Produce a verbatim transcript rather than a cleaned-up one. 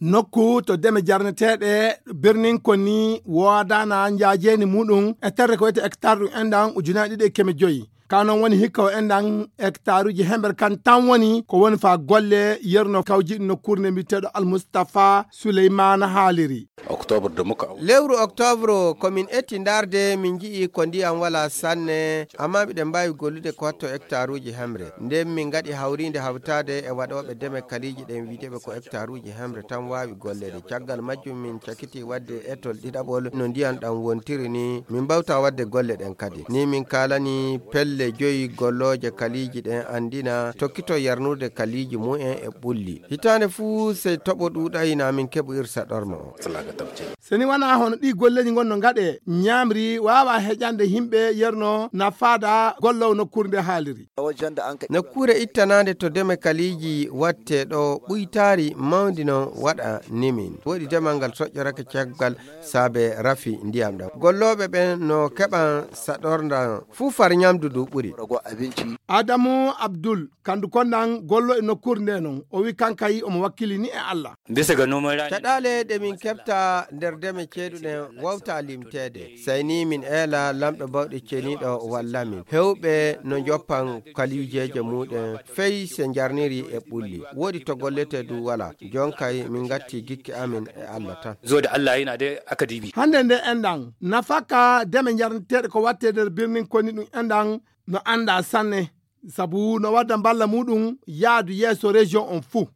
Nokku to deme jarneteeɗe birnin koni woodana njaajeeni muɗum e terre ko wiyete hectare ɗum enɗan ujunaaji ɗiɗi e keme joyi. Ka noon woni hikka o enɗan hectaruuji hemɓere kan tan woni ko woni faa golle yerno kawjiɗi nokkuure nde mbiyeteeɗo Almustafa Suleymaana haaliri. Octobre de muka. Lewru octobre ko min etti ndaarde, min nji'i ko ndiyam wala sanne, amma miɗen mbaawi gollude ko watto hectaruuji hemre. Nden min ngaɗi hawriinde hawtaade e waɗooɓe deme kaliiji ɗen, wi'eteeɓe ko hectaruuji hemre tan waawi golleede. Caggal majjum min cakiti waɗde etol ɗiɗaɓol no ndiyam ɗam wontiri ni, min mbawta waɗde golle ɗen kadi. Ni min kaalani pelle joyi gollooje kaliiji ɗen anndina tokkito yarnude kaliiji mumen e ɓulli. Hitaande fuu sey toɓo ɗuuɗay na min keɓu irsa ɗorma o. So ni wanaa hono ɗii golleeji ngon no ngaɗee, ñaamri waawa heƴande yimɓe yerno na faada gollowo nokkuure nde haaliri. Nokkuure ittanaande to deme kaliiji watte ɗo ɓuytaari mawndi no waɗa nimin. Woɗi demal ngal soƴƴorake caggal saabe rafi ndiyam ɗam. Gollooɓe ɓen no keɓan saɗorndan fuu far ñamdu ndu ɓuri. Adamu Abdul, kandu kondan gollo e nokkuure nde non, o wi kankay omo wakkili ni e Allah. Bisa ga noman rani. Caɗaale ɗe min keɓta nder deme ceeɗuɗen wawta limteede. Sey ni min eela lamɗo bawɗe ceniiɗo walla min. Hewɓe no njoppan kaliijeeje muɗen fey se njarniri e ɓulli. Woɗi to gollete du wala. Jonkay min ngatti gikki amin e Allah tan. Zo da Allah yana da aka dibi. Hannde nde enɗan, nafaka deme njarneteeɗe ko watte nder birnin koni ɗum enɗan no annda sanne. Sabu no wadda mballa muɗum yaadu yeeso région on fuu.